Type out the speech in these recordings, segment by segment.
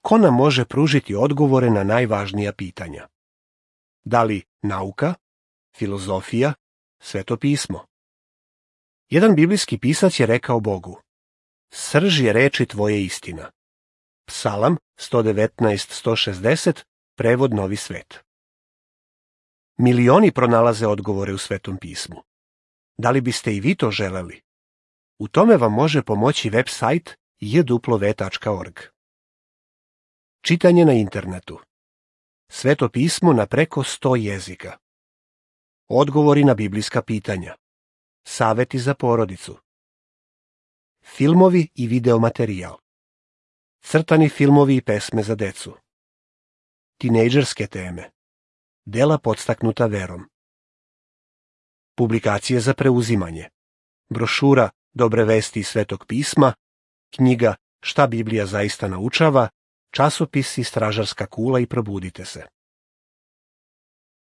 ko nam može pružiti odgovore na najvažnija pitanja? Da li nauka, filozofija, Sveto pismo? Jedan biblijski pisac je rekao Bogu: srž je reči tvoje istina. Psalam 119:160, prevod Novi svet. Milioni pronalaze odgovore u Svetom pismu. Da li biste i vi to želeli? U tome vam može pomoći web sajt jw.org. Čitanje na internetu. Sveto pismo na preko 100 jezika. Odgovori na biblijska pitanja. Saveti za porodicu. Filmovi i videomaterijal. Crtani filmovi i pesme za decu. Tinejdžerske teme. Dela podstaknuta verom. Publikacije za preuzimanje. Brošura Dobre vesti iz Svetog pisma, knjiga Šta Biblija zaista naučava, časopisi Stražarska kula i Probudite se.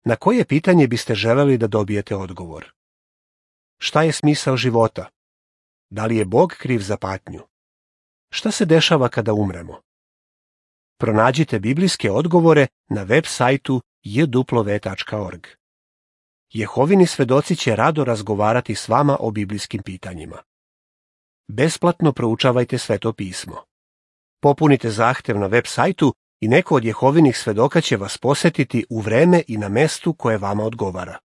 Na koje pitanje biste želeli da dobijete odgovor? Šta je smisao života? Da li je Bog kriv za patnju? Šta se dešava kada umremo? Pronađite biblijske odgovore na web sajtu jw.org. Jehovini svedoci će rado razgovarati s vama o biblijskim pitanjima. Besplatno proučavajte Sveto pismo. Popunite zahtev na web sajtu i neko od Jehovinih svedoka će vas posetiti u vreme i na mestu koje vama odgovara.